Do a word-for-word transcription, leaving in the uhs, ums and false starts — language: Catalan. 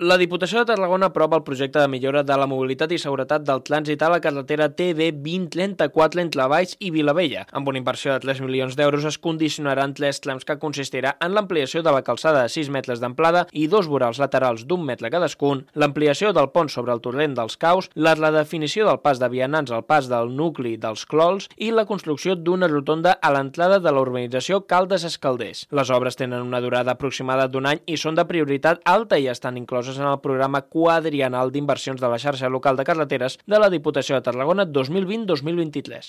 La Diputació de Tarragona aprova el projecte de millora de la mobilitat i seguretat del trànsit a la carretera T B vint trenta-quatre entre Valls i Vilavella. Amb una inversió de tres milions d'euros es condicionaran tres trams que consistirà en l'ampliació de la calçada de sis metres d'amplada i dos vorals laterals d'un metre cadascun, l'ampliació del pont sobre el torrent dels Caus, la redefinició del pas de vianants al pas del nucli dels Clols i la construcció d'una rotonda a l'entrada de la urbanització Caldes-Escalders. Les obres tenen una durada aproximada d'un any i són de prioritat alta i estan incloses en el programa quadriennal d'inversions de la xarxa local de carreteres de la Diputació de Tarragona dos mil vint a dos mil vint-i-tres.